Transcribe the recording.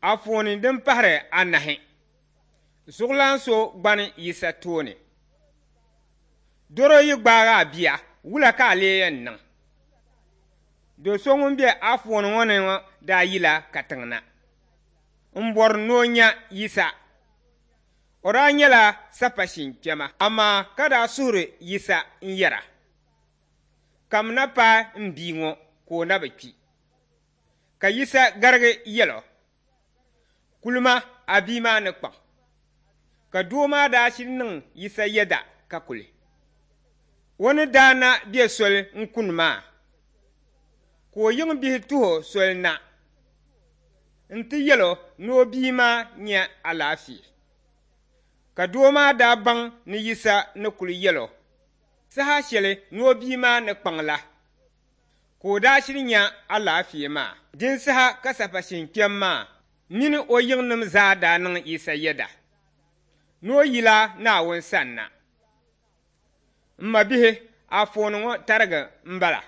Anfooni din pahiri anahi, Zuɣulan so gbani Yisa tooni. Doro yi gbaag a bia, wula ka a lee yɛn niŋ? Do so ŋun be anfooni ŋɔ ni ŋɔ daa yila katiŋ na m-bɔri ni o nya Yisa. O daa nyɛla sapashin kpɛma, amaa ka daa suhiri Yisa n-yɛra, Kamina paai m bia ŋɔ ka o na bi kpi. Ka Yisa garigi yɛl o, Kulima a bia maa ni kpaŋ. Ka doo maa daa shiri niŋ Yisa yɛda ka kuli. O ni daa na be soli n-kuni maa, ka o yiŋ bihi tuhi o soli na nti yɛl o ni o bia maa nya alaafee. Ka doo maa daa baŋ ni Yisa ni kuli yɛl o saha shɛli ni o bia maa ni kpaŋ la. Ka o daa shiri nya alaafee maa. Din saha ka sapashin kpɛm maa mini o yiŋnim zaa daa niŋ Yisa yɛda ni o yila Naawuni sanna. M mabihi, anfooni ŋɔ tarigi m-bala.